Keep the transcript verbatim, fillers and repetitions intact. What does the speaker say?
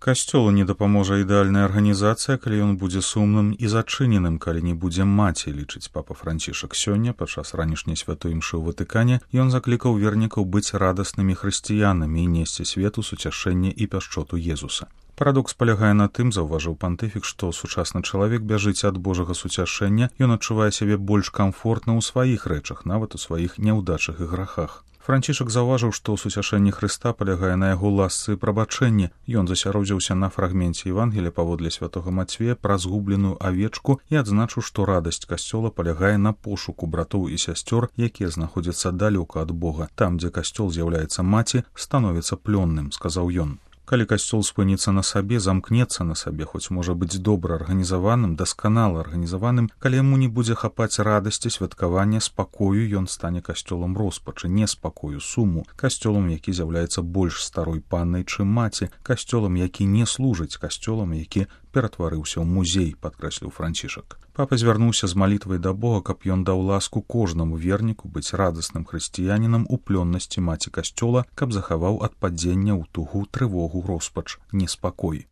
Касцёлу не дапаможа ідэальная арганізацыя, калі ён будзе сумным і зачыненым, калі не будзе маці, лічыць папа Францішак. Сёння, падчас ранішняй святой імшы ў Ватыкане, ён заклікаў вернікаў быць радаснымі хрысціянамі і несці свету суцяшэнне і пяшчоту Езуса. Парадокс палягае на тым, заўважыў пантыфік, што сучасны чалавек бяжыць ад Божага суцяшэння, ён адчувае сябе больш камфортна ў сваіх рэчах, нават у сваіх няўдачах і грахах. Францішак заўважыў, што суцяшэнне Хрыста палягае на яго ласцы і прабачэнні. Ён засяродзіўся на фрагменце Евангелія паводле святога Мацвея пра згубленую авечку і адзначыў, што радасць касцёла палягае на пошуку братоў і сясцёр, якія знаходзяцца далёка ад Бога. Там, дзе касцёл з'яўляецца маці, становіцца плённым, сказаў ён. Калі касцёл спыніцца на сабе, замкнецца на сабе, хоць можа быць добра арганізаваным, дасканала арганізаваным, калі яму не будзе хапаць радасці, святкавання, спакою, ён стане касцёлам роспачы, неспакою, суму, касцёлам, які з'яўляецца больш старой паннай, чым маці, касцёлам, які не служыць, касцёлам, які ператварыўся ў музей, падкрэсліў Францішак. Папа звярнуўся з малітвай да Бога, каб ён даў ласку кожнаму верніку быць радасным хрысціянінам у плённасці маці касцёла, каб захаваў ад падзення ў тугу, трывогу, роспач, неспакой.